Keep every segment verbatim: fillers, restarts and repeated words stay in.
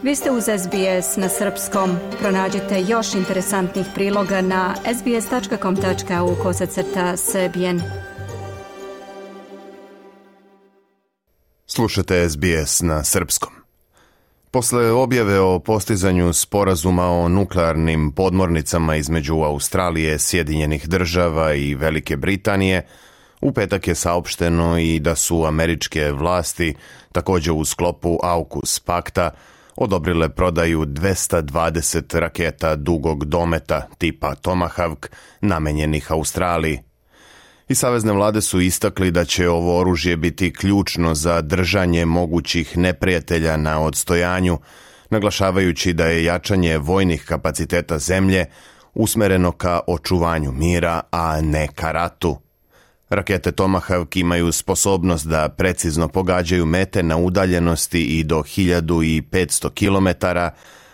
Vi ste uz S B S na srpskom. Pronađite još interesantnih priloga na sbs.com.au kosacrta srbijen. Slušate S B S na srpskom. Posle objave o postizanju sporazuma o nuklearnim podmornicama između Australije, Sjedinjenih država i Velike Britanije, u petak je saopšteno i da su američke vlasti, također u sklopu AUKUS pakta, odobrile prodaju dvesta dvadeset raketa dugog dometa tipa Tomahawk namenjenih Australiji. I savezne vlade su istakli da će ovo oružje biti ključno za držanje mogućih neprijatelja na odstojanju, naglašavajući da je jačanje vojnih kapaciteta zemlje usmereno ka očuvanju mira, a ne ka ratu. Rakete Tomahawk imaju sposobnost da precizno pogađaju mete na udaljenosti i do hiljadu petsto kilometara,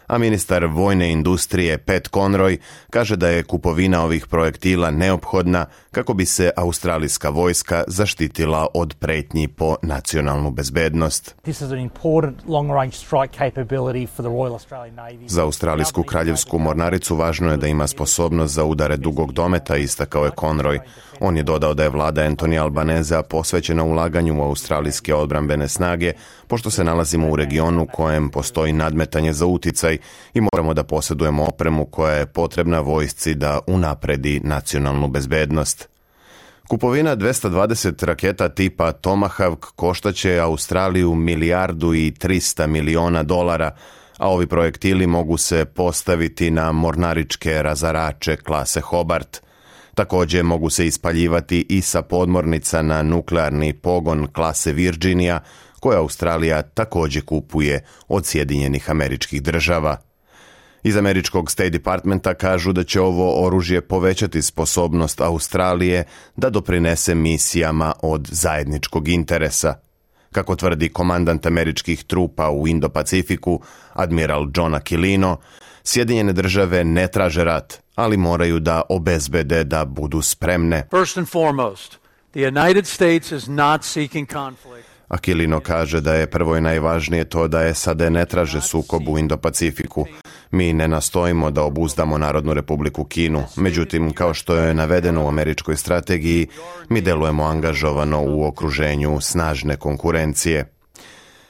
a ministar vojne industrije Pat Conroy kaže da je kupovina ovih projektila neophodna kako bi se australijska vojska zaštitila od pretnji po nacionalnu bezbednost. Za australijsku kraljevsku mornaricu važno je da ima sposobnost za udare dugog dometa, istakao je Conroy. On je dodao da je vlada Anthony Albaneza posvećena ulaganju u australijske odbrambene snage, pošto se nalazimo u regionu u kojem postoji nadmetanje za uticaj i moramo da posjedujemo opremu koja je potrebna vojsci da unapredi nacionalnu bezbednost. Kupovina dvesta dvadeset raketa tipa Tomahawk koštaće Australiju milijardu i trista miliona dolara, a ovi projektili mogu se postaviti na mornaričke razarače klase Hobart. Također mogu se ispaljivati i sa podmornica na nuklearni pogon klase Virginia, koje Australija također kupuje od Sjedinjenih Američkih Država. Iz američkog State Departmenta kažu da će ovo oružje povećati sposobnost Australije da doprinese misijama od zajedničkog interesa. Kako tvrdi komandant američkih trupa u Indo-Pacifiku, admiral John Aquilino, Sjedinjene države ne traže rat, ali moraju da obezbede da budu spremne. First and foremost, the United States is not seeking conflict. Aquilino kaže da je prvo i najvažnije to da S A D ne traže sukob u Indo-Pacifiku. Mi ne nastojimo da obuzdamo Narodnu republiku Kinu, međutim, kao što je navedeno u američkoj strategiji, mi delujemo angažovano u okruženju snažne konkurencije.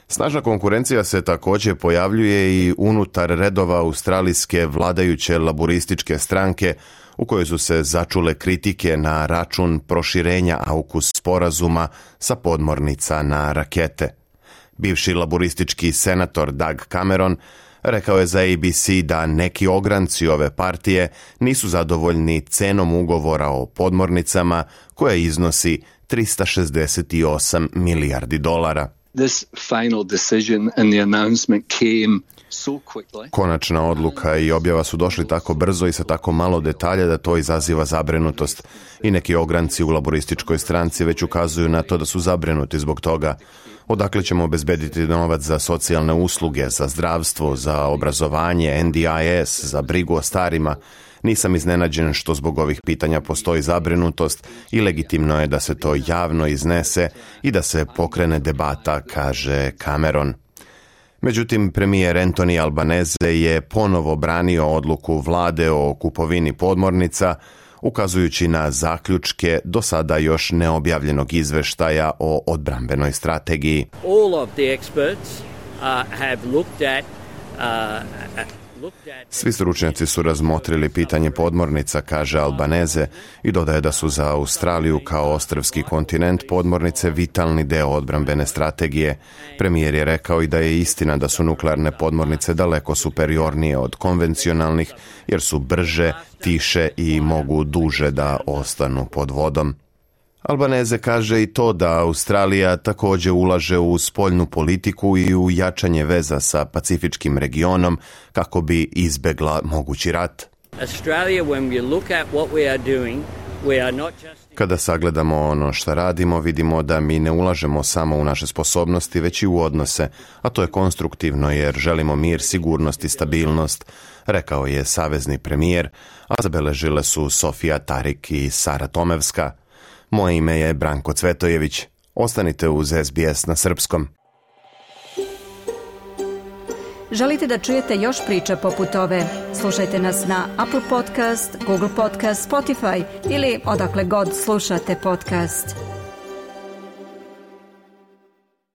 Snažna konkurencija se također pojavljuje i unutar redova australijske vladajuće laburističke stranke, u kojoj su se začule kritike na račun proširenja AUKUS sporazuma sa podmornica na rakete. Bivši laburistički senator Doug Cameron rekao je za A B C da neki ogranci ove partije nisu zadovoljni cenom ugovora o podmornicama koja iznosi trista šezdeset osam milijardi dolara. This final decision and the announcement came so quickly. Konačna odluka i objava su došli tako brzo i sa tako malo detalja da to izaziva zabrinutost. I neki ogranci u laborističkoj stranci već ukazuju na to da su zabrinuti zbog toga. Odakle ćemo obezbediti novac za socijalne usluge, za zdravstvo, za obrazovanje, N D I S, za brigu o starima? Nisam iznenađen što zbog ovih pitanja postoji zabrinutost i legitimno je da se to javno iznese i da se pokrene debata, kaže Cameron. Međutim, premijer Anthony Albanese je ponovo branio odluku vlade o kupovini podmornica, ukazujući na zaključke do sada još neobjavljenog izveštaja o odbrambenoj strategiji. All of the experts uh, have looked at uh, Svi stručnjaci su razmotrili pitanje podmornica, kaže Albanese, i dodaje da su za Australiju kao ostrvski kontinent podmornice vitalni deo odbrambene strategije. Premijer je rekao i da je istina da su nuklearne podmornice daleko superiornije od konvencionalnih, jer su brže, tiše i mogu duže da ostanu pod vodom. Albanese kaže i to da Australija također ulaže u spoljnu politiku i u jačanje veza sa pacifičkim regionom kako bi izbegla mogući rat. Australia, when we look at what we are doing, we are not just... Kada sagledamo ono što radimo, vidimo da mi ne ulažemo samo u naše sposobnosti, već i u odnose, a to je konstruktivno jer želimo mir, sigurnost i stabilnost, rekao je savezni premijer, a zabeležile su Sofija Tarik i Sara Tomevska. Moje ime je Branko Cvetojević. Ostanite uz S B S na srpskom. Želite da čujete još priča poput ove? Slušajte nas na Apple Podcast, Google Podcast, Spotify ili odakle god slušate podcast.